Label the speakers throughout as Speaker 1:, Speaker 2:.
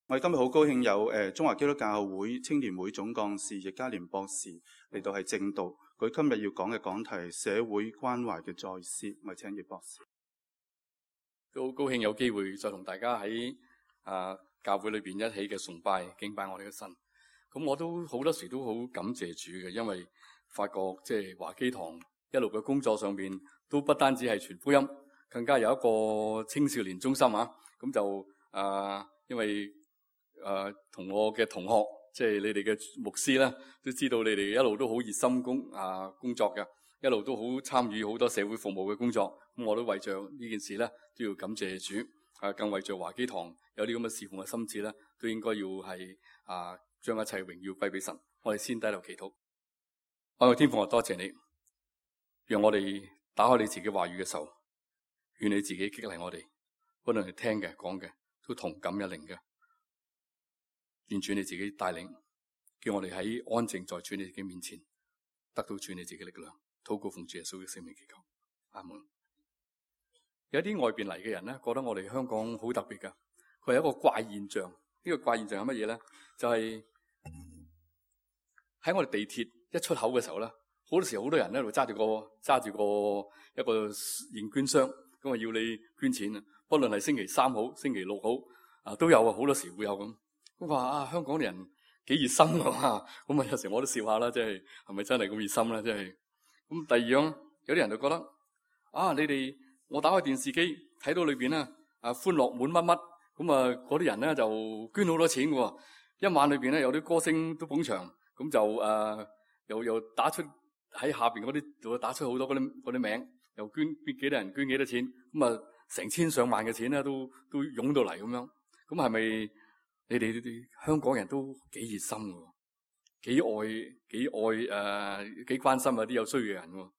Speaker 1: 我哋今日好高興有中華基督教會青年會總幹事易家連博士嚟到係正道。佢今日要講嘅講題係社會關懷嘅再思。我哋請易博士。
Speaker 2: 都好高興有機會再同大家喺教會裏邊一起嘅崇拜敬拜我哋嘅神。咁我都好多時都好感謝主嘅，因為發覺即係華基堂一路嘅工作上邊都不單止係傳福音，更加有一個青少年中心啊。咁就因為同我嘅同學，即係你哋嘅牧師咧，都知道你哋一路都好熱心工作嘅，一路都好參與好多社會服務嘅工作。咁我都為着呢件事咧，都要感謝主。更為着華基堂有啲咁嘅侍奉嘅心志咧，都應該要係將一切榮耀歸俾神。我哋先低頭祈禱。愛我天父，我多謝你，讓我哋打開你自己話語嘅時候，願你自己激勵我哋，不論係聽嘅講嘅，都同感一靈嘅。願主你自己帶領，叫我哋喺安靜在主你自己面前，得到主你自己力量。禱告奉主耶穌嘅聖名祈求，阿門。有啲外邊嚟嘅人咧，覺得我哋香港好特別噶。佢係一個怪現象。呢個怪現象係乜嘢咧？就係喺我哋地鐵一出口嘅時候咧，好多時好多人咧，度揸住個一個現捐箱，咁啊要你捐錢啊。不論係星期3好，星期6好，都有啊。好多時會有咁。咁話香港人幾熱心㗎嘛。咁啊有時我都笑下啦，即係咪真係咁熱心咧？即係咁。第二樣，有啲人就覺得你哋。我打開電視機睇到裏邊咧，歡樂滿乜乜，咁嗰啲人咧就捐好多錢嘅喎。一晚裏邊咧有啲歌星都捧場，咁就又打出喺下邊嗰啲，就打出好多嗰啲名，又捐幾多人捐幾多錢，咁成千上萬嘅錢咧都湧到嚟咁樣。咁係咪你哋香港人都幾熱心嘅，幾愛幾關心啲有需要嘅人喎？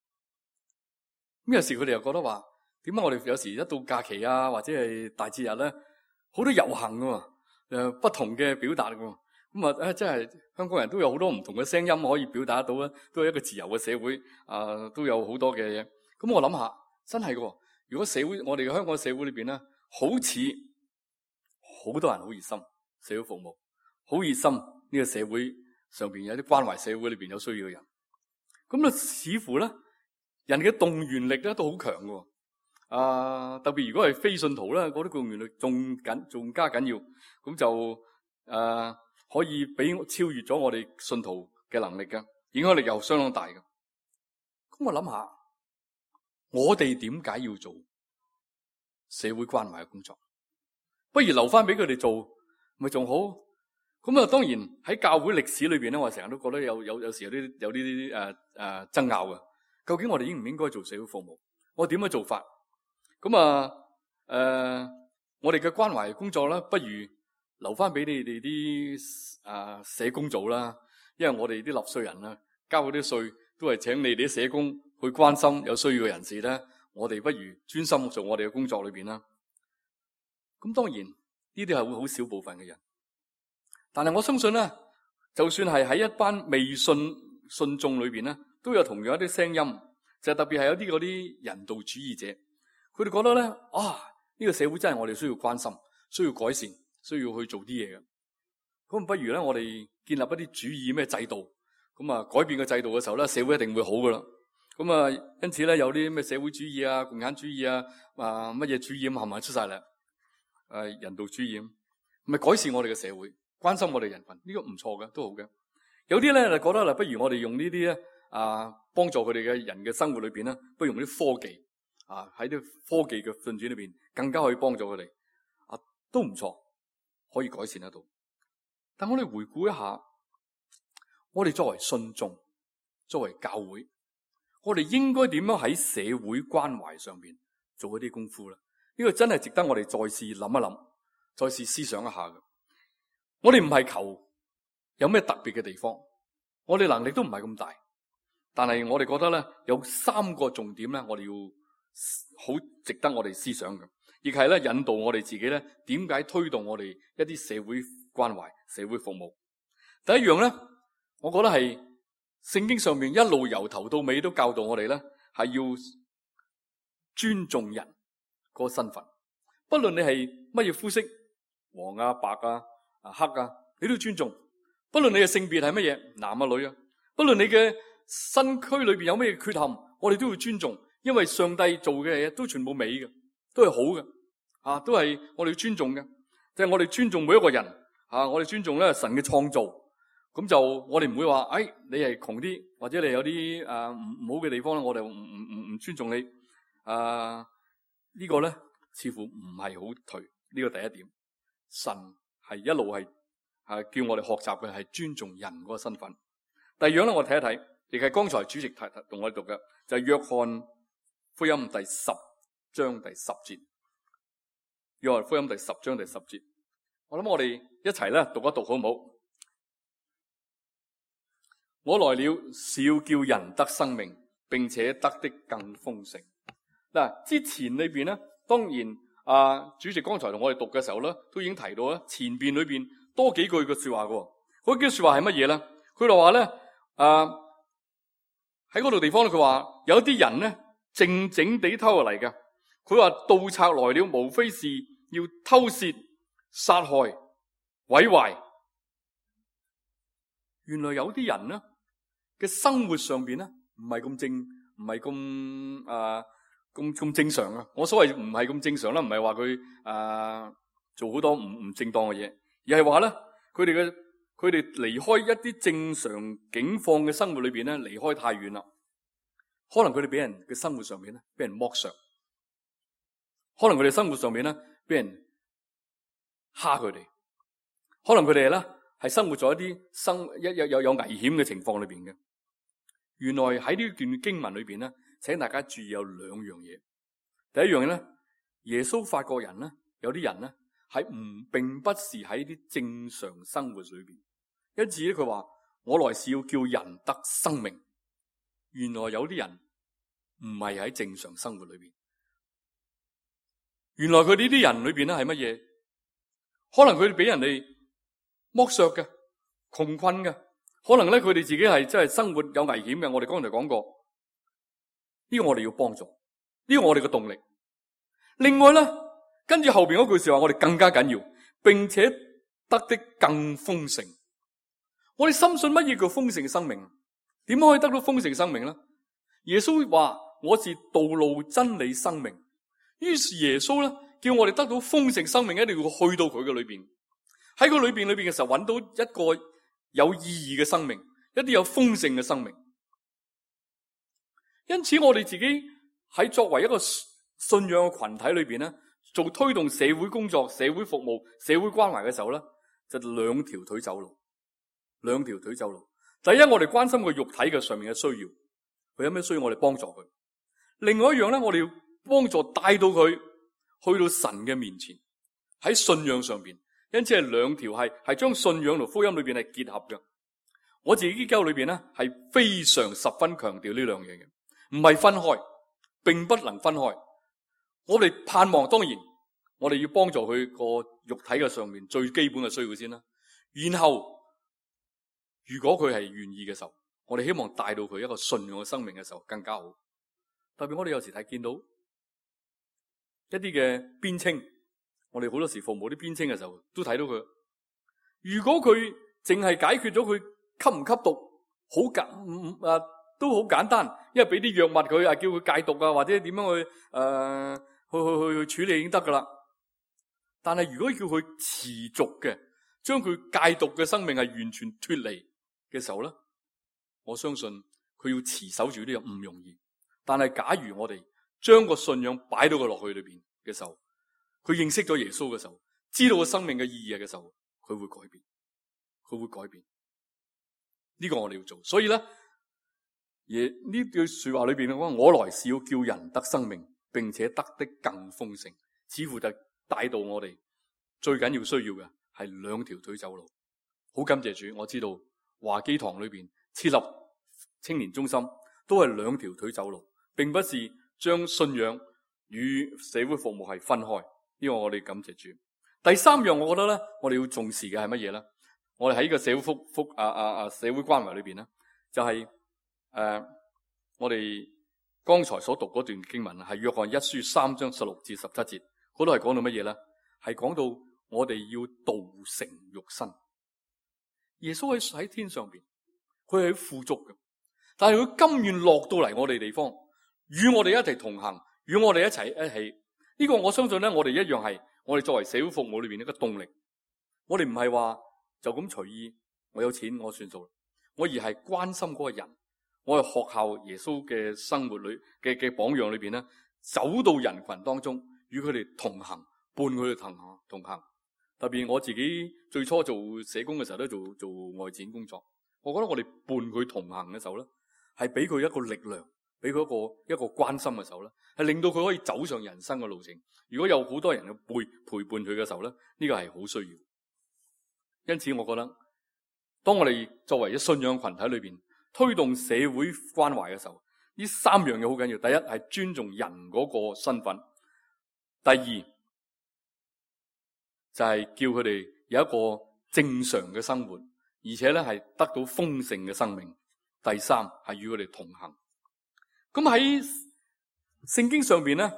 Speaker 2: 咁有時佢哋又覺得話，點解我哋有時一到假期或者係大節日咧，好多遊行㗎，不同嘅表達㗎。咁真係香港人都有好多唔同嘅聲音可以表達得到咧，都係一個自由嘅社會，都有好多嘅嘢。咁我諗下，真係㗎。如果我哋嘅香港社會裏邊咧，好似好多人好熱心社會服務，好熱心呢個社會上邊有啲關懷社會裏邊有需要嘅人，咁似乎咧人嘅動員力咧都好強㗎。特別如果係非信徒咧，嗰啲動員力仲加緊要，咁就可以超越咗我哋信徒嘅能力嘅，影響力又相當大嘅。咁我諗下，我哋點解要做社會關懷嘅工作？不如留翻俾佢哋做，咪仲好？咁當然喺教會歷史裏邊咧，我成日都覺得有時有啲爭拗嘅。究竟我哋應唔應該做社會服務？我點樣做法？咁我哋嘅關懷工作啦，不如留翻俾你哋啲社工做啦。因為我哋啲納稅人啦，交嗰啲稅都係請你哋啲社工去關心有需要嘅人士咧。我哋不如專心做我哋嘅工作裏邊啦。咁當然呢啲係會好少部分嘅人，但係我相信咧，就算係喺一班未信眾裏邊咧，都有同樣一啲聲音，就係特別係有啲嗰啲人道主義者。佢哋覺得咧，呢個社會真係我哋需要關心、需要改善、需要去做啲嘢嘅。咁不如咧，我哋建立一啲主義咩制度，咁改變個制度嘅時候咧，社會一定會好噶啦。咁因此咧，有啲咩社會主義共產主義乜嘢主義咁係咪出晒嚟？人道主義咪改善我哋嘅社會，關心我哋人群，呢個唔錯嘅，都好嘅。有啲咧就覺得不如我哋用呢啲咧幫助佢哋嘅人嘅生活裏邊咧，不如用啲科技。喺啲科技嘅進展裏邊，更加可以幫助佢哋，都唔錯，可以改善得到。但我哋回顧一下，我哋作為信眾，作為教會，我哋應該點樣喺社會關懷上邊做一啲功夫咧？呢個真係值得我哋再試諗一諗，再試思想一下嘅。我哋唔係求有咩特別嘅地方，我哋能力都唔係咁大，但係我哋覺得咧有3個重點咧，我哋要好值得我哋思想嘅，亦係咧引導我哋自己咧點解推動我哋一啲社會關懷、社會服務。第一樣咧，我覺得係聖經上面一路由頭到尾都教導我哋咧，係要尊重人個身份，不論你係乜嘢膚色，黃白黑啊，你都要尊重。不論你嘅性別係乜嘢，男啊女啊，不論你嘅身軀裏邊有咩缺陷，我哋都要尊重，因為上帝做嘅嘢都全部美嘅，都係好嘅，都係我哋要尊重嘅。即係我哋尊重每一個人，我哋尊重咧神嘅創造。咁就我哋唔會話，你係窮啲，或者你有啲唔好嘅地方咧，我哋唔尊重你。呢個咧似乎唔係好頹。呢個第一點，神係一路係叫我哋學習嘅係尊重人嗰個身份。第二樣咧，我睇一睇，亦係剛才主席同我哋讀嘅，就係約翰福音第10章第10節。約翰福音第10章第10節，我諗我哋一齊咧讀一讀好唔好？我來了是要叫人得生命，並且得的更豐盛。嗱，之前裏邊咧，當然主席剛才同我哋讀嘅時候咧，都已經提到咧，前邊裏邊多幾句嘅說話嘅。嗰句說話係乜嘢咧？佢就話咧，喺嗰度地方咧，佢話有啲人咧靜靜地偷嚟嘅。佢話盜賊來了，無非是要偷竊、殺害、毀壞。原來有啲人咧嘅生活上邊咧唔係咁正常啊！我所謂唔係咁正常啦，唔係話佢做好多唔正當嘅嘢，而係話咧佢哋離開一啲正常境況嘅生活裏邊咧，離開太遠啦。可能佢哋俾人嘅生活上面咧俾人剝削，可能佢哋生活上面咧俾人蝦佢哋，可能佢哋咧係生活咗一啲有危險嘅情況裏邊嘅。原來喺呢段經文裏邊咧，請大家注意有兩樣嘢。第一樣嘢咧，耶穌發覺人咧，有啲人咧係並不是喺啲正常生活裏邊，因此咧佢話我來是要叫人得生命。原來有啲人唔係喺正常生活裏邊，原來佢呢啲人裏邊咧係乜嘢？可能佢哋俾人哋剝削嘅、窮困嘅，可能咧佢哋自己係真係生活有危險嘅。我哋剛才講過，呢個我哋要幫助，呢個我哋嘅動力。另外咧，跟住後邊嗰句說話，我哋更加緊要，並且得的更豐盛。我哋深信乜嘢叫豐盛嘅生命？點樣可以得到豐盛嘅生命咧？耶穌話我是道路、真理、生命。於是耶穌咧叫我哋得到豐盛生命，一定要去到佢嘅裏邊，喺佢裏邊嘅時候揾到一個有意義嘅生命，一啲有豐盛嘅生命。因此我哋自己喺作為一個信仰嘅群體裏邊咧，做推動社會工作、社會服務、社會關懷嘅時候咧，就兩條腿走路。兩條腿走路。第一，我哋關心佢肉體嘅上面嘅需要，佢有咩需要我哋幫助佢。另外一樣咧，我哋要幫助帶到佢去到神嘅面前，喺信仰上邊。因此係兩條係將信仰同福音裏邊係結合嘅。我自己基督裏邊咧係非常十分強調呢兩樣嘢嘅，唔係分開，並不能分開。我哋盼望，當然我哋要幫助佢個肉體嘅上面最基本嘅需要先啦。然後如果佢係願意嘅時候，我哋希望帶到佢一個信仰嘅生命嘅時候更加好。特別我哋有時睇見到一啲嘅邊青，我哋好多時服務啲邊青嘅時候都睇到佢。如果佢淨係解決咗佢吸唔吸毒，都好簡單，因為俾啲藥物佢叫佢戒毒啊，或者點樣去處理已經得噶啦。但係如果叫佢持續嘅將佢戒毒嘅生命係完全脫離嘅時候咧，我相信佢要持守住呢個唔容易。但係假如我哋將個信仰擺到佢落去裏邊嘅時候，佢認識咗耶穌嘅時候，知道個生命嘅意義嘅時候，佢會改變，佢會改變。呢個我哋要做。所以咧，呢句說話裏邊咧，我來是要叫人得生命，並且得的更豐盛，似乎就帶到我哋最緊要需要嘅係兩條腿走路。好感謝主，我知道華基堂裏邊設立青年中心都係兩條腿走路，並不是將信仰與社會服務係分開。呢個我哋感謝主。第三樣，我覺得咧，我哋要重視嘅係乜嘢咧？我哋喺呢個社會社會關懷裏邊咧，就係我哋剛才所讀嗰段經文係約翰一書3章16至17節，嗰度係講到乜嘢咧？係講到我哋要道成肉身。耶穌喺天上邊，佢係富足嘅，但係佢甘願落到嚟我哋地方，與我哋一齊同行，與我哋一起。呢個我相信咧，我哋一樣係我哋作為社會服務裏邊一個動力。我哋唔係話就咁隨意，我有錢我算數，我而係關心嗰個人。我係學校耶穌嘅生活裏嘅榜樣裏邊咧，走到人群當中，與佢哋同行，伴佢哋同行。特別我自己最初做社工嘅時候都做外展工作，我覺得我哋伴佢同行嘅時候咧，係俾佢一個力量，俾佢一個關心嘅時候咧，係令到佢可以走上人生嘅路程。如果有好多人去陪伴佢嘅時候咧，呢個係好需要。因此我覺得，當我哋作為一信仰群體裏邊推動社會關懷嘅時候，呢三樣嘢好緊要。第一係尊重人嗰個身份，第二就係叫佢哋有一個正常嘅生活，而且咧係得到豐盛嘅生命。第三係與佢哋同行。咁喺聖經上邊咧，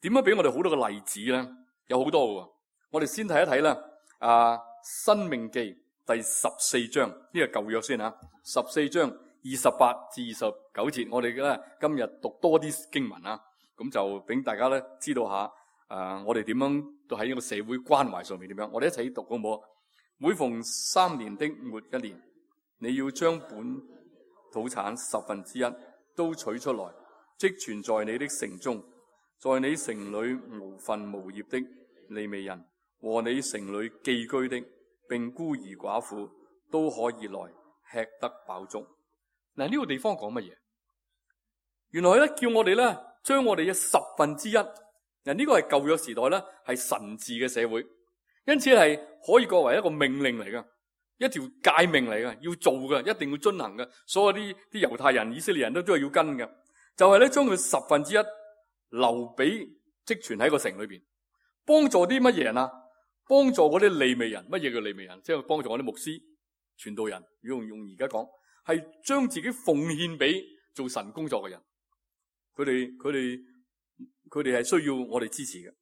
Speaker 2: 點樣俾我哋好多個例子咧？有好多嘅。我哋先睇一睇啦。申命記第14章，呢個舊約先吓，14章28至29節，我哋咧今日讀多啲經文啊，咁就俾大家咧知道下，我哋點樣都喺呢個社會關懷上面點樣，我哋一齊讀好唔好？每逢3年的末1年，你要將本土產1/10都取出來，積存在你的城中，在你城裏無分無業的利未人和你城裏寄居的，並孤兒寡婦都可以來吃得飽足。嗱，呢個地方講乜嘢？原來咧叫我哋咧將我哋嘅1/10，嗱，呢個係舊約時代咧係神治嘅社會，因此係可以作為一個命令嚟噶，一條誡命嚟噶，要做嘅，一定要遵行嘅。所有啲猶太人、以色列人都係要跟嘅，就係咧將佢1/10留俾積存喺個城裏邊，幫助啲乜嘢人啊？幫助嗰啲利未人。乜嘢叫利未人？即係幫助嗰啲牧師、傳道人。如果用而家講，係將自己奉獻俾做神工作嘅人。佢哋係需要我哋支持嘅。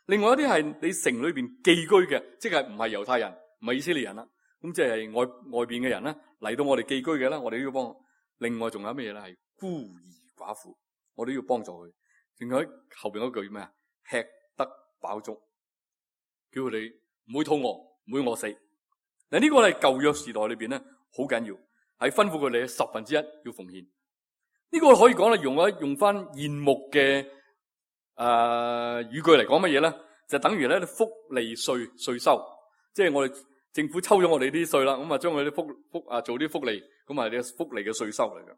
Speaker 2: 另外一啲係你城裏邊寄居嘅，即係唔係猶太人，唔係以色列人啦。咁即係外邊嘅人啦，嚟到我哋寄居嘅啦，我哋都要幫。另外仲有乜嘢咧？係孤兒寡婦，我哋都要幫助佢。仲有後邊嗰句咩啊？吃得飽足。叫佢哋唔會肚餓，唔會餓死。嗱，呢個係舊約時代裏邊咧，好緊要，係吩咐佢哋1/10要奉獻。呢個可以講咧，用翻現目嘅語句嚟講乜嘢咧？就等於咧福利稅收，即係我哋政府抽咗我哋啲稅啦，咁啊將佢啲福做啲福利，咁啊啲福利嘅稅收嚟㗎。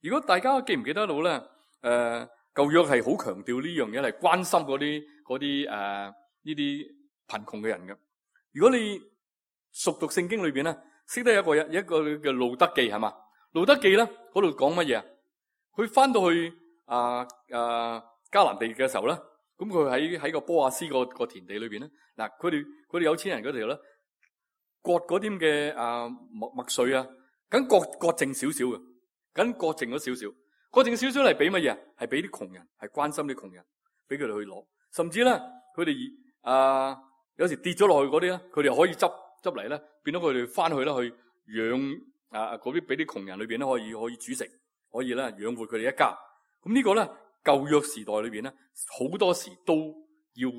Speaker 2: 如果大家記唔記得到咧？舊約係好強調呢樣嘢，係關心嗰啲呢啲貧窮嘅人嘅。如果你熟讀聖經裏邊咧，識得一個嘅路德記係嘛？路德記咧嗰度講乜嘢？佢翻到去迦南地嘅時候咧，咁佢喺個波亞斯個田地裏邊咧，嗱佢哋有錢人嗰度咧，割嗰啲嘅麥穗啊，咁割剩少少嘅，咁割剩咗少少，割剩少少嚟俾乜嘢？係俾啲窮人，係關心啲窮人，俾佢哋去攞。甚至咧，佢哋有時跌咗落去嗰啲咧，佢哋可以執嚟咧，變咗佢哋翻去咧去養嗰啲俾啲窮人裏邊咧可以煮食，可以咧養活佢哋一家。咁呢個咧舊約時代裏邊咧，好多時都要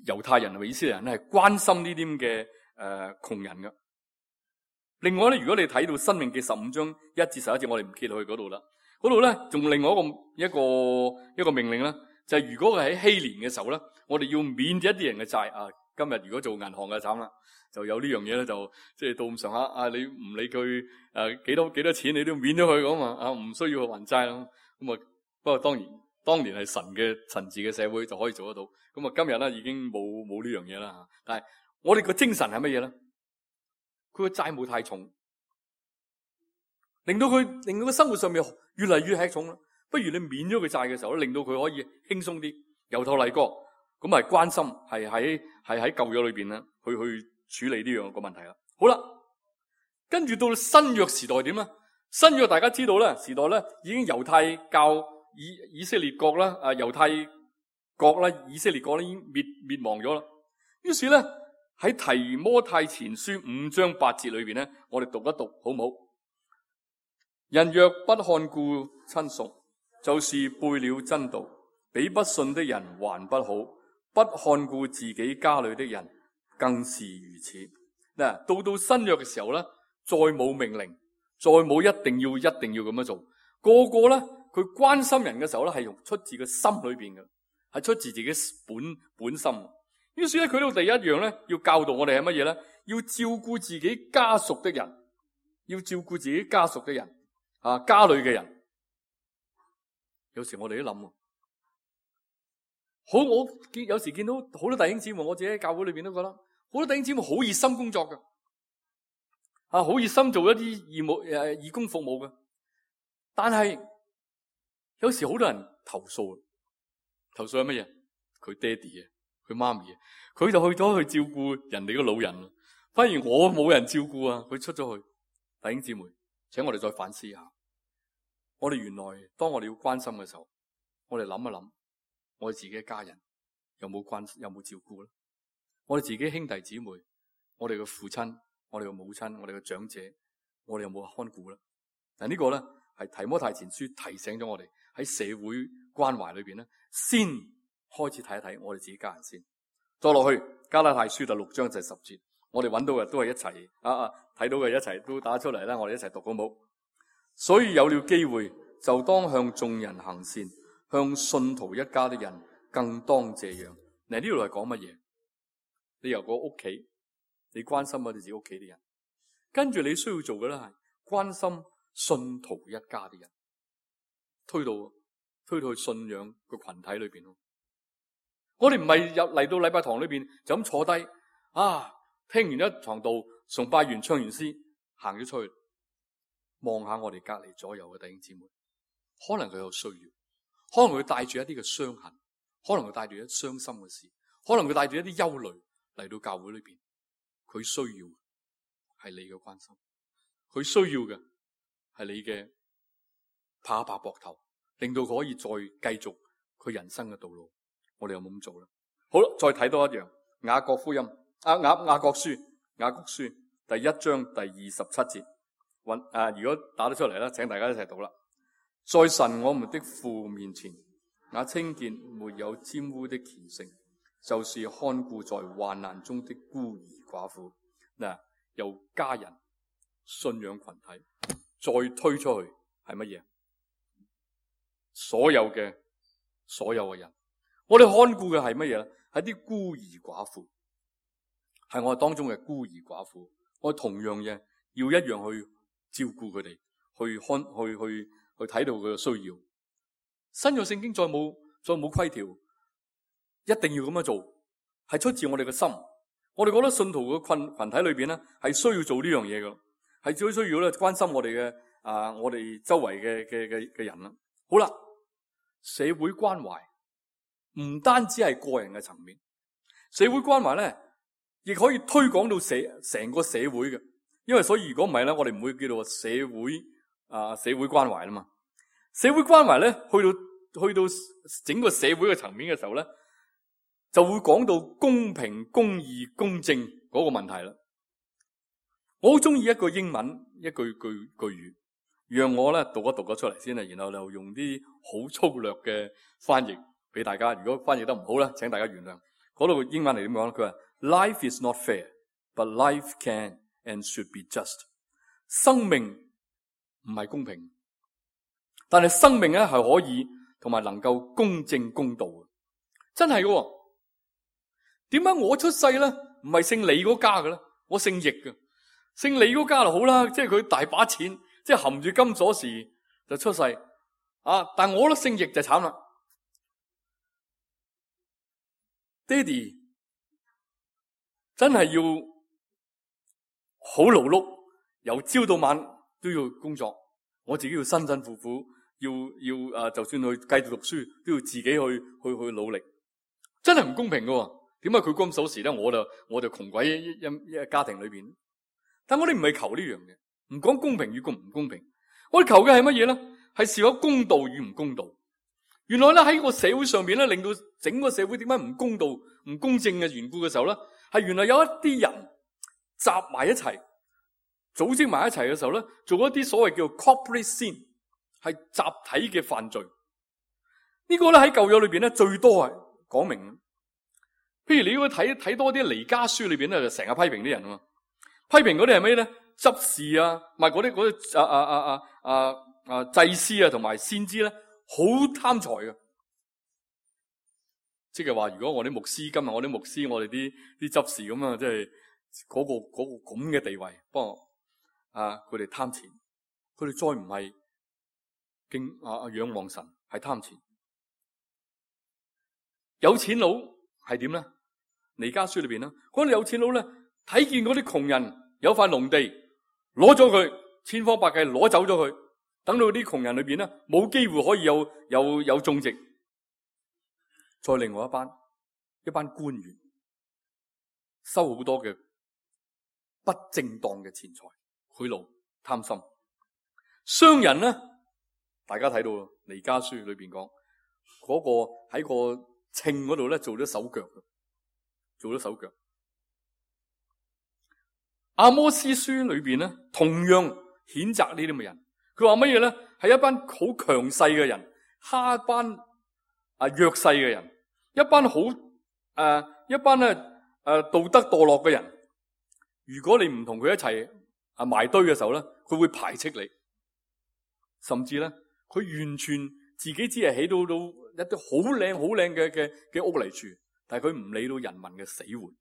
Speaker 2: 猶太人同埋以色列人咧係關心呢啲咁嘅窮人嘅。另外咧，如果你睇到申命記15章1至11節，我哋唔揭去嗰度啦。嗰度咧仲另外一個命令咧，就係如果佢喺禧年嘅時候咧，我哋要免一啲人嘅債啊。今日如果做銀行嘅慘啦，就有呢樣嘢咧，就即係到咁上下你唔理佢幾多錢，你都免咗佢咁嘛，唔需要去還債啦。咁啊，不過當年係神治嘅社會就可以做得到。咁啊，今日咧已經冇呢樣嘢啦。但係我哋個精神係乜嘢咧？佢個債務太重，令到佢生活上面越嚟越吃重啦。不如你免咗佢債嘅時候，令到佢可以輕鬆啲，由頭嚟過。咁係關心，係喺舊約裏邊咧，去處理呢樣個問題啦。好啦，跟住到新約時代點咧？新約大家知道咧，時代咧已經猶太教以色列國啦，猶太國啦，以色列國咧已經滅亡咗啦。於是咧喺提摩太前書5章8節裏邊咧，我哋讀一讀好唔好？人若不看顧親屬，就是背了真道，比不信的人還不好。不看顧自己家裏的人，更是如此。嗱，到新約嘅時候咧，再冇命令，再冇一定要咁樣做。個個咧，佢關心人嘅時候咧，係用出自個心裏邊嘅，係出自自己本心。於是咧，佢到第一樣咧，要教導我哋係乜嘢咧？要照顧自己家屬的人，要照顧自己家屬嘅人。家裏嘅人，有時我哋都諗，好，我有時見到好多弟兄姊妹，我自己喺教會裏邊都覺得，好多弟兄姊妹好熱心工作嘅，好熱心做一啲義工服務嘅，但係有時好多人投訴係乜嘢？佢爹哋啊，佢媽咪啊，佢就去咗去照顧人哋嘅老人，反而我冇人照顧啊，佢出咗去，弟兄姊妹。請我哋再反思下，我哋原來當我哋要關心嘅時候，我哋諗一諗，我哋自己嘅家人有冇照顧咧？我哋自己兄弟姊妹，我哋嘅父親，我哋嘅母親，我哋嘅長者，我哋有冇看顧咧？但呢個咧係提摩太前書提醒咗我哋喺社會關懷裏邊咧，先開始睇一睇我哋自己家人先。再落去加拉太書第6章就係10節。我哋揾到嘅都係一齊睇到嘅一齊都打出嚟啦，我哋一齊讀好冇？所以有了機會，就當向眾人行善，向信徒一家的人更當這樣。嗱，呢度係講乜嘢？你由個屋企，你關心我哋自己屋企啲人，跟住你需要做嘅咧係關心信徒一家啲人，推到去信仰個群體裏邊咯。我哋唔係嚟到禮拜堂裏邊就咁坐低聽完一堂道，崇拜完唱完詩，行咗出去，望下我哋隔籬左右嘅弟兄姊妹，可能佢有需要，可能佢帶住一啲嘅傷痕，可能佢帶住一啲傷心嘅事，可能佢帶住一啲憂慮嚟到教會裏邊，佢需要係你嘅關心，佢需要嘅係你嘅拍一拍膊頭，令到佢可以再繼續佢人生嘅道路。我哋有冇咁做咧？好啦，再睇多一樣雅各福音。雅各書第1章第27節，如果打得出嚟啦，請大家一齊讀啦。在神我們的父面前，那清潔沒有沾污的虔誠，就是看顧在患難中的孤兒寡婦。嗱，由家人、信仰群體再推出去係乜嘢？所有嘅人，我哋看顧嘅係乜嘢咧？係啲孤兒寡婦。係我哋當中嘅孤兒寡婦，我同樣嘅要一樣去照顧佢哋，去睇到佢嘅需要。新約聖經再冇規條，一定要咁樣做，係出自我哋嘅心。我哋覺得信徒嘅群體裏邊咧，係需要做呢樣嘢嘅，係最需要咧關心我哋嘅我哋周圍嘅人啦。好啦，社會關懷唔單止係個人嘅層面，社會關懷咧，亦可以推廣到成個社會嘅，因為所以如果唔係咧，我哋唔會叫做社會關懷啦嘛。社會關懷咧，去到整個社會嘅層面嘅時候咧，就會講到公平、公義、公正嗰個問題啦。我好中意一個英文一句語，讓我咧讀一讀咗出嚟先啦，然後就用啲好粗略嘅翻譯俾大家。如果翻譯得唔好咧，請大家原諒。嗰度英文嚟點講？佢話 Life is not fair, but life can and should be just。生命唔係公平，但係生命咧係可以同埋能夠公正公道嘅，真係嘅。點解我出世咧唔係姓李嗰家嘅咧？我姓易嘅，姓李嗰家就好啦，即係佢大把錢，即係含住金鎖匙就出世啊！但我都姓易就慘啦。爹哋真係要好勞碌，由朝到晚都要工作。我自己要辛辛苦苦，要就算去繼續讀書，都要自己去努力，真係唔公平㗎。點解佢金鎖匙咧？我就窮鬼一家庭裏邊。但我哋唔係求呢樣嘢，唔講公平與唔公平。我哋求嘅係乜嘢咧？係是否公道與唔公道。原來咧喺個社會上邊咧，令到整個社會點解唔公道、唔公正嘅緣故嘅時候咧，係原來有一啲人集埋一齊，組織埋一齊嘅時候咧，做一啲所謂叫 corporate sin， 係集體嘅犯罪。呢個咧喺舊約裏邊咧最多係講明。譬如你如果睇多啲彌迦書裏邊咧，就成日批評啲人啊嘛。批評嗰啲係咩咧？執事啊，唔係嗰啲祭司啊，同埋先知咧，好貪財嘅。即係話，如果我啲牧師今日我哋啲執事咁啊，即係嗰個咁嘅地位，不過佢哋貪錢，佢哋再唔係仰望神，係貪錢。有錢佬係點咧？彌迦書裏邊啦，嗰啲有錢佬咧，睇見嗰啲窮人有塊農地，攞咗佢，千方百計攞走咗佢，等到啲窮人裏邊咧冇機會可以有種植。再另外一班官員收好多嘅不正當嘅錢財，賄賂貪心。商人咧，大家睇到彌迦書裏邊講嗰個喺個秤嗰度咧做咗手腳。阿摩司書裏邊咧，同樣譴責呢啲咁嘅人。佢話乜嘢咧？係一班好強勢嘅人，蝦一班弱勢嘅人，一班道德墮落嘅人。如果你唔同佢一齊埋堆嘅時候咧，佢會排斥你，甚至咧佢完全自己只係起到一啲好靚嘅屋嚟住。但係佢唔理到人民嘅死活，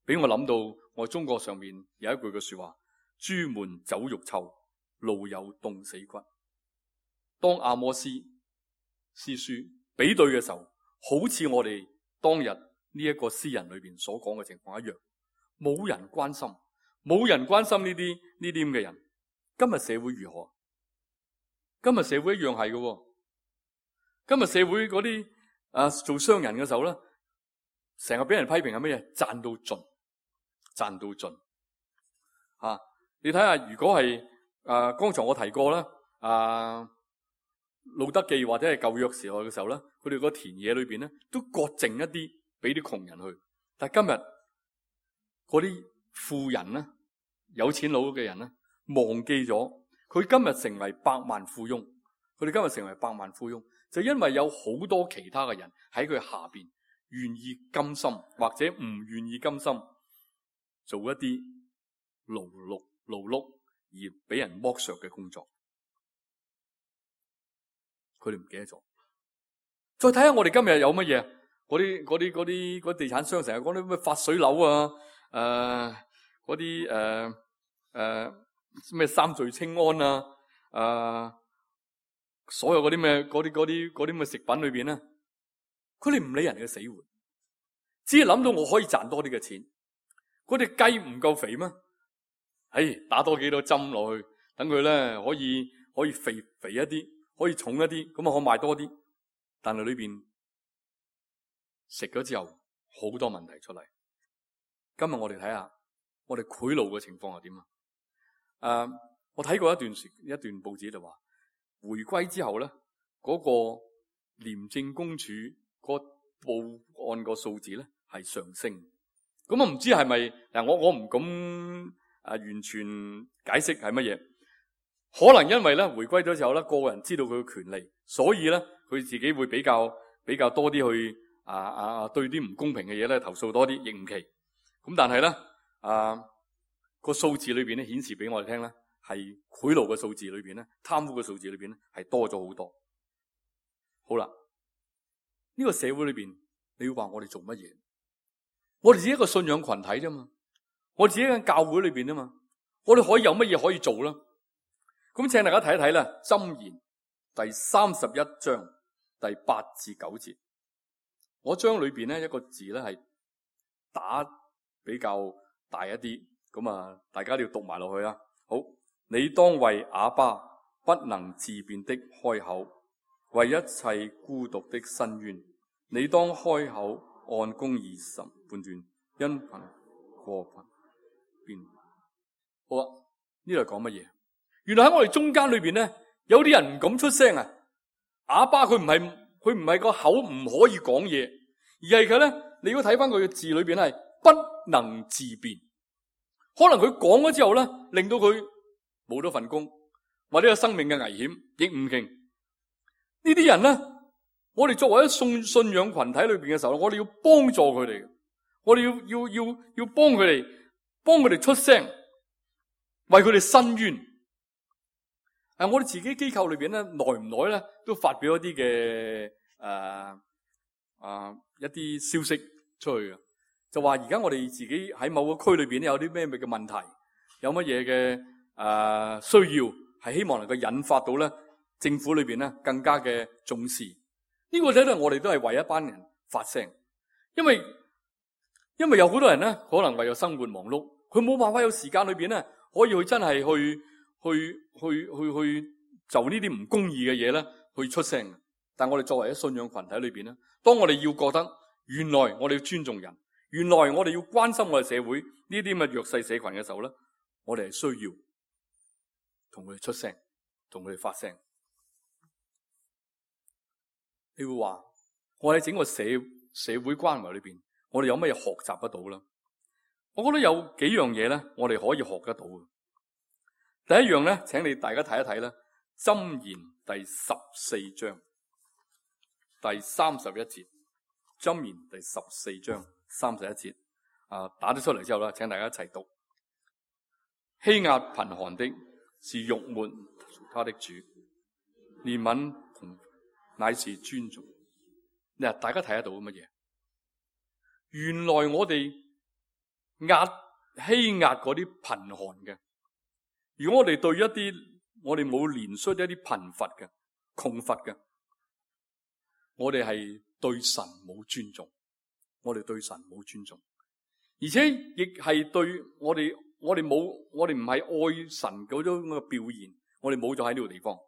Speaker 2: 俾我諗到我中國上面有一句嘅說話：朱門酒肉臭，路有凍死骨。當阿摩司書比對嘅時候，好似我哋當日呢一個詩人裏邊所講嘅情況一樣，冇人關心呢啲咁嘅人。今日社會如何？今日社會一樣係嘅。今日社會嗰啲做商人嘅時候咧，成日俾人批評係乜嘢？賺到盡你睇下，如果係剛才我提過啦，路德記或者係舊約時代嘅時候咧，佢哋個田野裏邊咧都割剩一啲俾啲窮人去。但係今日嗰啲富人咧，有錢佬嘅人咧，忘記咗佢今日成為百萬富翁。佢哋今日成為百萬富翁，就因為有好多其他嘅人喺佢下邊，願意甘心或者唔願意甘心做一啲勞碌而俾人剝削嘅工作。佢哋唔記得咗。再睇下我哋今日有乜嘢？嗰啲地產商成日講啲咩發水樓啊，嗰啲咩三聚氰胺啊，所有嗰啲咩嗰啲咩食品裏邊咧，佢哋唔理人嘅死活，只係諗到我可以賺多啲嘅錢。嗰隻雞唔夠肥咩？打多幾多針落去，等佢咧可以肥一啲，可以重一啲，咁啊可賣多啲。但係裏邊食咗之後，好多問題出嚟。今日我哋睇下，我哋賄賂嘅情況係點啊？我睇過一段報紙就話，回歸之後咧，嗰個廉政公署個報案個數字咧係上升。咁啊唔知係咪嗱？我唔敢完全解釋係乜嘢。可能因為咧回歸咗之後咧，個人知道佢嘅權利，所以咧佢自己會比較多啲去對啲唔公平嘅嘢咧投訴多啲，亦唔奇。咁但係咧個數字裏邊咧顯示俾我哋聽咧，係賄賂嘅數字裏邊咧，貪污嘅數字裏邊咧係多咗好多。好啦，呢個社會裏邊你要話我哋做乜嘢？我哋只係一個信仰群體啫嘛，我哋只係喺教會裏邊啊嘛，我哋可以有乜嘢可以做啦？咁請大家睇一睇啦，《箴言》第31章第8至9節，我將裏邊咧一個字咧係打比較大一啲，咁大家都要讀埋落去啊。好，你當為啞巴不能自辯的開口，為一切孤獨的申冤，你當開口按公義審判斷，因憑過貧辯。好啊，呢度係講乜嘢？原來喺我哋中間裏邊咧，有啲人唔敢出聲啊！啞巴佢唔係個口唔可以講嘢，而係佢咧，你如果睇翻佢嘅字裏邊係不不能自辯。可能佢講咗之後咧，令到佢冇咗份工，或者有生命嘅危險，亦唔勁。呢啲人咧，我哋作為一信仰群體裏邊嘅時候，我哋要幫助佢哋，我哋要幫佢哋出聲，為佢哋伸冤。我哋自己機構裏邊咧，耐唔耐咧都發表一啲嘅一啲消息出去嘅，就話而家我哋自己喺某個區裏邊有啲咩嘅問題，有乜嘢嘅需要，係希望能夠引發到咧政府裏邊咧更加嘅重視。呢個咧我哋都係為一班人發聲，因為有好多人咧可能為咗生活忙碌，佢冇辦法有時間裏邊咧可以去真係去就呢啲唔公義嘅嘢咧去出聲。但我哋作為一信仰群體裏邊咧，當我哋要覺得原來我哋要尊重人，原來我哋要關心我哋社會呢啲咁嘅弱勢社群嘅時候咧，我哋係需要同佢哋出聲，同佢哋發聲。你會話我喺整個社會關懷裏邊，我哋有乜嘢學習得到啦？我覺得有幾樣嘢咧，我哋可以學得到嘅。第一樣咧，請你大家睇一睇啦，《箴言》第14章第31節，《箴言》第14章31節，打咗出嚟之後啦，請大家一齊讀。欺壓貧寒的是辱沒他的主，憐憫乃是尊重。嗱，大家睇得到乜嘢？原來我哋欺壓嗰啲貧寒嘅，如果我哋對一啲我哋冇憐恤一啲貧乏嘅、窮乏嘅，我哋係對神冇尊重，我哋對神冇尊重，而且亦係對我哋唔係愛神嗰種嘅表現，我哋冇咗喺呢個地方。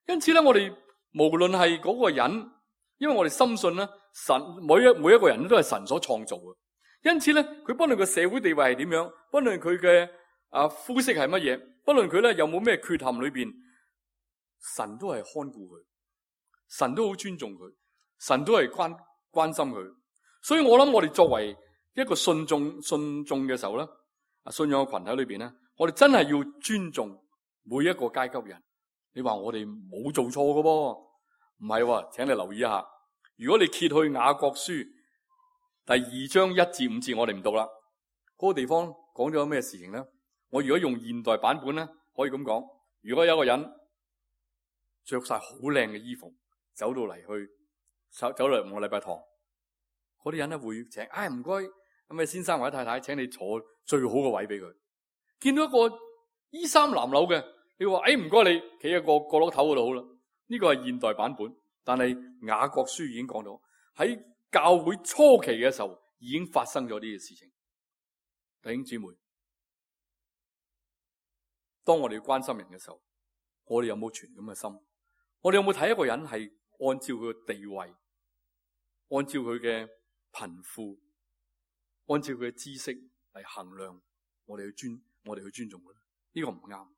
Speaker 2: 因此咧，我哋無論係嗰個人，因為我哋深信咧，神每一個人都係神所創造嘅，因此咧，佢不論佢社會地位係點樣，不論佢嘅膚色係乜嘢，不論佢咧有冇咩缺陷裏邊，神都係看顧佢，神都好尊重佢，神都係關心佢。所以我諗我哋作為一個信眾嘅時候咧，信仰嘅群體裏邊咧，我哋真係要尊重每一個階級人。你話我哋冇做錯嘅噃，唔係喎，請你留意一下。如果你揭去雅各書第2章1至5節，我哋唔讀啦。嗰個地方講咗咩事情咧？我如果用現代版本咧，可以咁講：如果有一個人着晒好靚嘅衣服，走到嚟我禮拜堂，嗰啲人咧會請，唔該，咁啊先生或者太太，請你坐最好嘅位俾佢。見到一個衣衫襤褸嘅，你話唔該你企喺個角落頭嗰度好啦。呢個係現代版本，但係雅各書已經講到喺教會初期嘅時候已經發生咗呢啲事情。弟兄姊妹，當我哋要關心人嘅時候，我哋有冇存咁嘅心？我哋有冇睇一個人係按照佢嘅地位，按照佢嘅貧富，按照佢嘅知識嚟衡量我哋去尊重佢？呢個唔啱。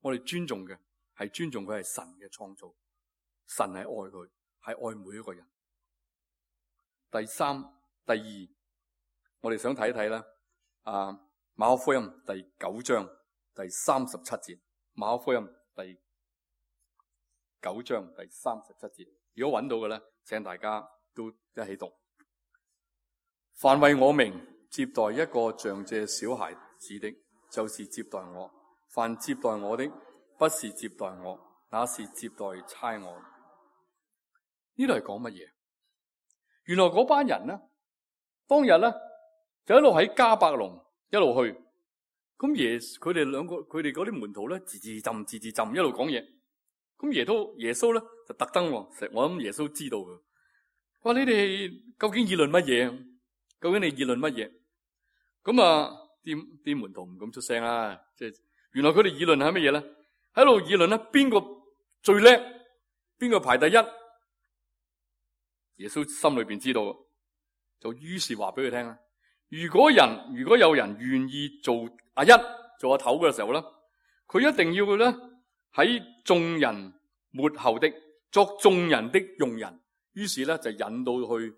Speaker 2: 我哋尊重嘅係尊重佢係神嘅創造，神係愛佢，係愛每一個人。第二，我哋想睇一睇啦。馬可福音第9章第37節，馬可福音第9章第37節。如果揾到嘅咧，請大家都一起讀。凡為我名接待一個像這小孩子的，就是接待我。凡接待我的，不是接待我，那是接待差我。呢度係講乜嘢？原來嗰班人呢，當日咧就一路喺迦百農一路去，咁佢哋嗰啲門徒咧，字字浸一路講嘢。咁耶穌咧就特登，我諗耶穌知道嘅，話你哋究竟議論乜嘢？究竟你議論乜嘢？咁啲門徒唔敢出聲啦，即係原來佢哋議論係乜嘢咧？喺度議論咧，邊個最叻？邊個排第一？耶穌心裏邊知道，就於是話俾佢聽啦。如果有人願意做阿一做阿頭嘅時候咧，佢一定要咧喺眾人末後的作眾人的用人。於是咧就引到去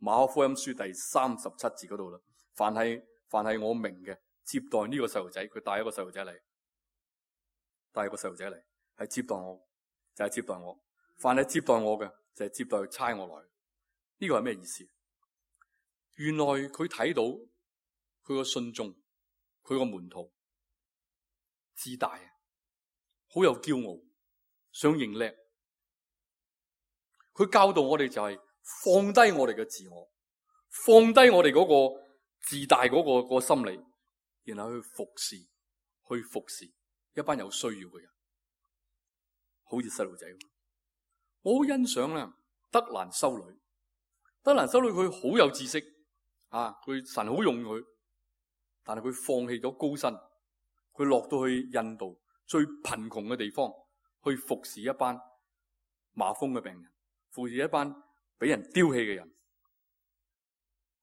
Speaker 2: 馬可福音書第37節嗰度啦。凡係我明嘅，接待呢個細路仔，佢帶一個細路仔嚟，係接待我，就係接待我。凡係接待我嘅，就係接待差我來。呢個係咩意思？原來佢睇到佢個信眾，佢個門徒自大，好有驕傲，想認叻。佢教導我哋就係放低我哋嘅自我，放低我哋嗰個自大嗰個心理，然後去服侍一班有需要嘅人，好似細路仔。我好欣賞啦，德蘭修女佢好有知識啊，佢神好用佢，但係佢放棄咗高薪，佢落到去印度最貧窮嘅地方去服侍一班麻風嘅病人，服侍一班俾人丟棄嘅人。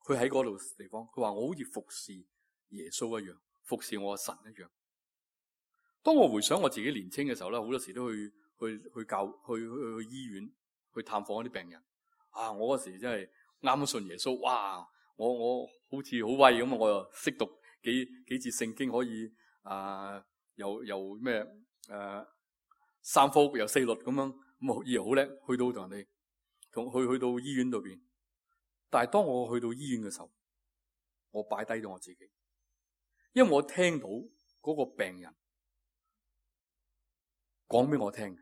Speaker 2: 佢喺嗰度地方，佢話我好似服侍耶穌一樣，服侍我嘅神一樣。當我回想我自己年輕嘅時候咧，好多時都去醫院去探訪一啲病人。啊，我嗰時真係啱信耶穌，哇！我好似好威咁，我又識讀幾節聖經，可以又咩三福又四律咁樣，咁以為好叻，去到同人哋去到醫院度邊。但係當我去到醫院嘅時候，我擺低咗我自己，因為我聽到嗰個病人講俾我聽，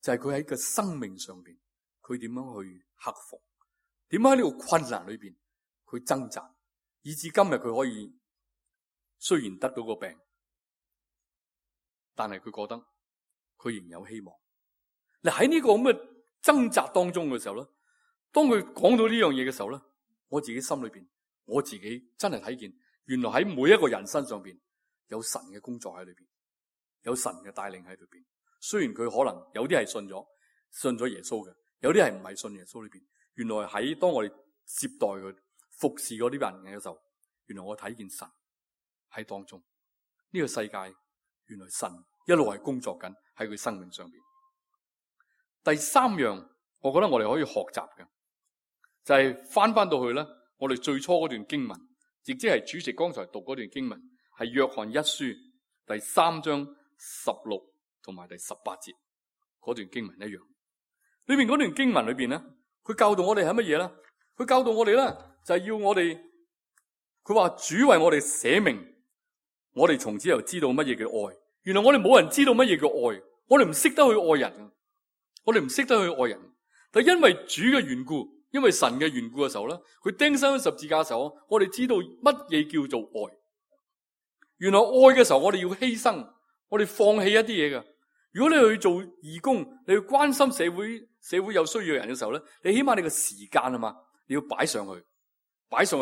Speaker 2: 就係佢喺個生命上邊，佢點樣去克服，點樣喺呢個困難裏邊去掙扎，以至今日佢可以雖然得到個病，但係佢覺得佢仍有希望。嗱，喺呢個咁嘅掙扎當中嘅時候咧，當佢講到呢樣嘢嘅時候咧，我自己心裏邊，我自己真係睇見，原來喺每一個人身上邊有神嘅工作喺裏邊，有神嘅帶領喺裏邊。雖然佢可能有啲係信咗耶穌嘅，有啲係唔係信耶穌裏邊。原來喺當我哋接待佢、服侍嗰啲人嘅時候，原來我睇見神喺當中。呢個世界原來神一路係工作緊喺佢生命上邊。第三樣，我覺得我哋可以學習嘅，就係翻到去咧，我哋最初嗰段經文，亦即係主席剛才讀嗰段經文，係約翰一書第3章16同埋第18節嗰段經文一樣。裏面嗰段經文裏邊咧，佢教導我哋係乜嘢咧？佢教導我哋咧，就係要我哋，佢話主為我哋捨命，我哋從此又知道乜嘢叫愛。原來我哋冇人知道乜嘢叫愛，我哋唔識得去愛人，我哋唔識得去愛人。但因為主嘅緣故，因為神嘅緣故嘅時候咧，佢釘身十字架嘅時候，我哋知道乜嘢叫做愛。原來愛嘅時候，我哋要犧牲，我哋放棄一啲嘢嘅。如果你去做義工，你去關心社會有需要嘅人嘅時候咧，你起碼你個時間啊嘛，你要擺上去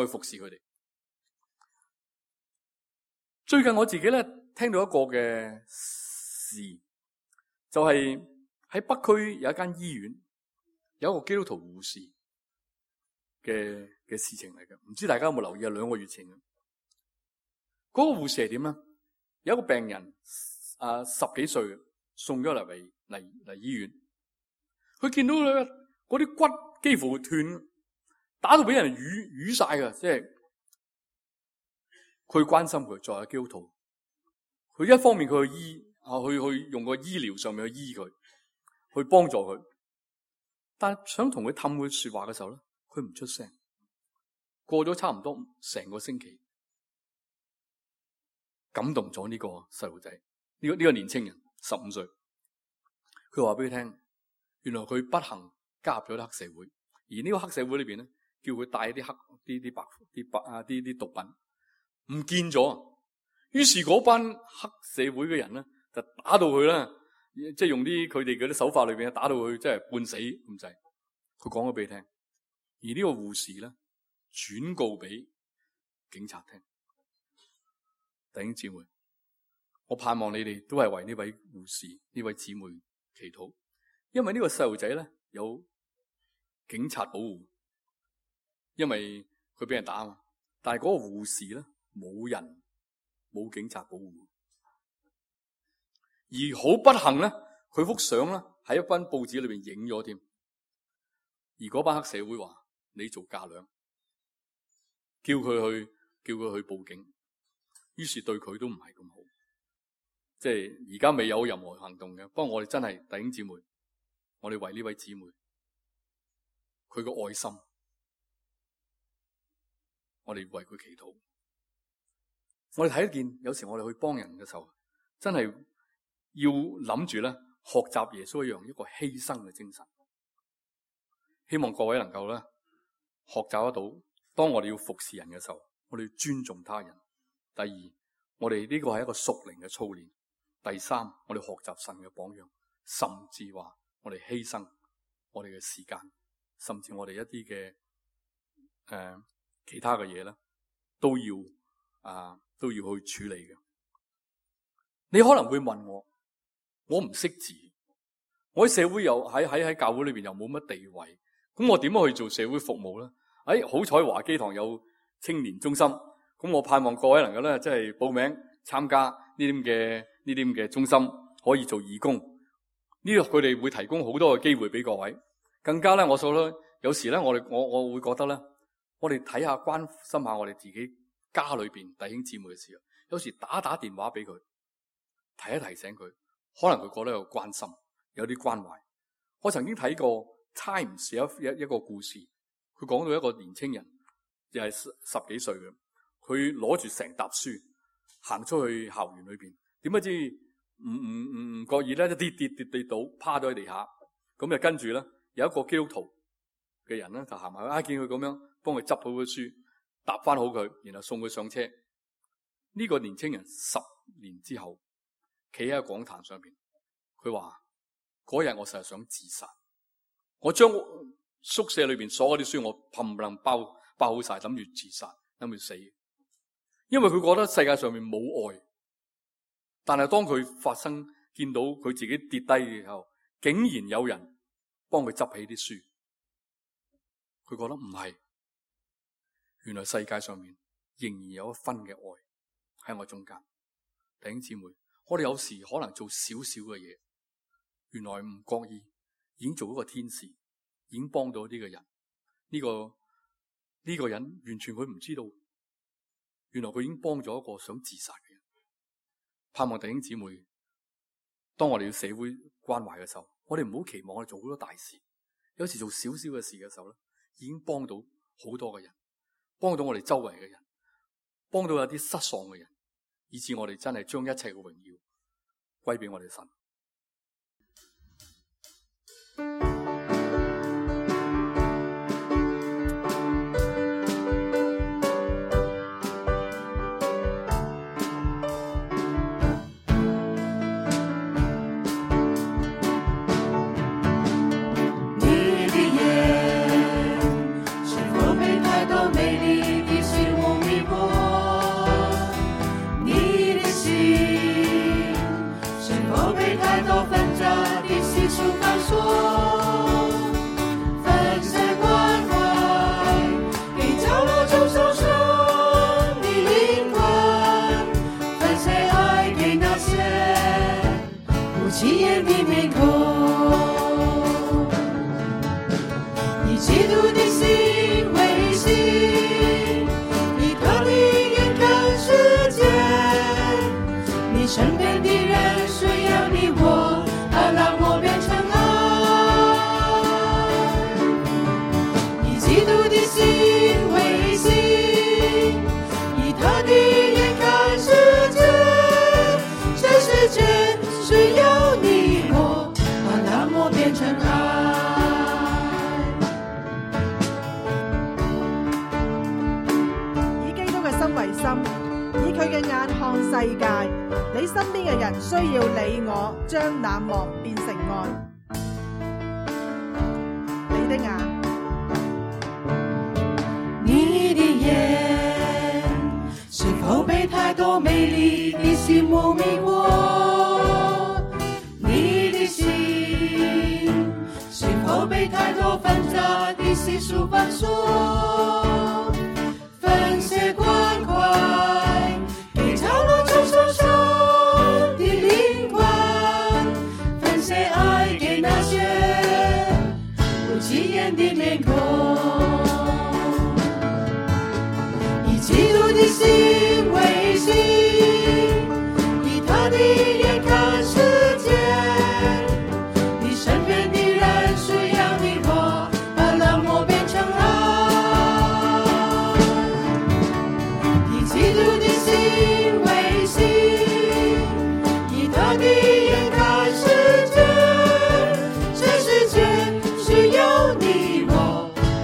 Speaker 2: 服侍佢哋。最近我自己咧聽到一個嘅事，就係喺北區有一間醫院，有一個基督徒護士嘅事情嚟嘅。唔知大家有冇留意啊？2個月前，嗰個護士係點咧？有一個病人10幾歲，送咗嚟醫院，佢見到佢嗰啲骨幾乎斷，打到俾人瘀晒㗎，即係佢關心佢，作為基督徒，佢一方面佢去用個醫療上面去醫佢，去幫助佢，但係想同佢氹佢說話嘅時候咧，佢唔出聲。過咗差唔多成個星期，感動咗呢個細路仔，呢個年青人15歲，佢話俾佢聽，原來佢不幸加入咗黑社會，而呢個黑社會裏邊咧，叫佢帶啲毒品，唔見咗。於是嗰班黑社會嘅人咧，就打到佢啦，即係用佢哋嗰啲手法裏邊打到佢，即係半死咁滯。佢講咗俾你聽，而呢個護士咧轉告俾警察聽。弟兄姊妹，我盼望你哋都係為呢位護士、呢位姊妹祈禱，因為呢個細路仔咧有警察保護，因為佢俾人打嘛。但係嗰個護士咧冇警察保護，而好不幸咧，佢幅相咧喺一班報紙裏邊影咗添。而嗰班黑社會話：你做架樑，叫佢去叫佢去報警，於是對佢都唔係咁好。即係而家未有任何行動嘅，不過我哋真係弟兄姊妹，我哋為呢位姊妹佢個愛心，我哋為佢祈禱。我哋睇一件，有時我哋去幫人嘅時候，真係要諗住咧，學習耶穌一個犧牲嘅精神。希望各位能夠咧學習得到，當我哋要服侍人嘅時候，我哋要尊重他人。第二，我哋呢個係一個屬靈嘅操練。第三，我哋學習神嘅榜樣，甚至話我哋犧牲我哋嘅時間，甚至我哋一啲嘅其他嘅嘢咧，都要去處理嘅。你可能會問我唔識字，我喺社會又喺教會裏邊又冇乜地位，咁我點樣去做社會服務咧？好彩華基堂有青年中心，咁我盼望各位能夠咧，即係報名參加呢啲咁嘅中心，可以做義工。呢度佢哋會提供好多嘅機會俾各位。更加咧，我所咧有時咧，我會覺得咧，我哋睇下關心下我哋自己家裏邊弟兄姊妹嘅時候，有時打電話俾佢，提醒佢，可能佢覺得有關心，有啲關懷。我曾經睇過 Times 一個故事，佢講到一個年青人，又係十幾歲嘅，佢攞住成沓書行出去校園裏邊，點不知唔覺意咧，一跌倒，趴咗喺地下。咁就跟住咧，有一個基督徒嘅人咧就行埋去，見佢咁樣，幫佢執好嘅書，搭翻好佢，然後送佢上車。呢個年青人10年之後，企喺個講壇上邊，佢話嗰日我實係想自殺，我將宿舍裏邊所有啲書我冚唪唥包好晒，諗住自殺，諗住死。因為佢覺得世界上面冇愛，但係當佢見到佢自己跌低嘅時候，竟然有人幫佢執起啲書，佢覺得唔係，原來世界上面仍然有一分嘅愛喺我中間。弟兄姊妹，我哋有時可能做少少嘅嘢，原來唔覺意已經做一個天使，已經幫到呢個人。呢個人完全佢唔知道，原來佢已經幫咗一個想自殺嘅人。盼望弟兄姊妹，當我哋要社會關懷嘅時候，我哋唔好期望我哋做好多大事，有時做少少嘅事嘅時候咧，已經幫到好多嘅人，幫到我哋周圍嘅人，幫到有啲失喪嘅人，以致我哋真係將一切嘅榮耀歸俾我哋神。
Speaker 3: 你身邊嘅人需要你我將冷漠變成愛。你的眼，
Speaker 4: 你的眼，是否被太多美麗的事物迷惑？你的心，是否被太多繁雜的世俗綁鎖？分些關懷給角落中受傷的靈魂，分些愛給那些不起眼的臉孔，以基督的心心，以他的眼看世界，你身边的人需要你我，把冷漠变成爱，以基督的心为心，以他的眼看世界，这世界需要你我，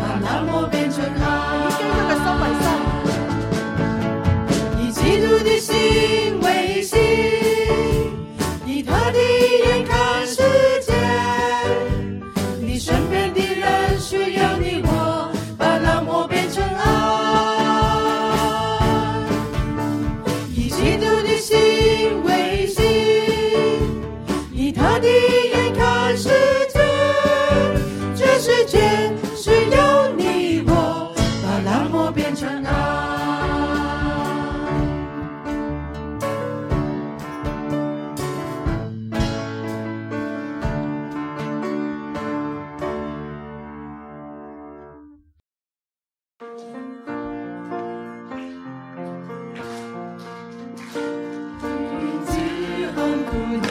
Speaker 4: 把冷漠变成爱。以基督的心为心，以他的眼看世界，你身边的人需要你我，把冷漠变成爱。以基督的心为心，以他的眼看世界，这世界需要你我，把冷漠变成爱。自恒苦难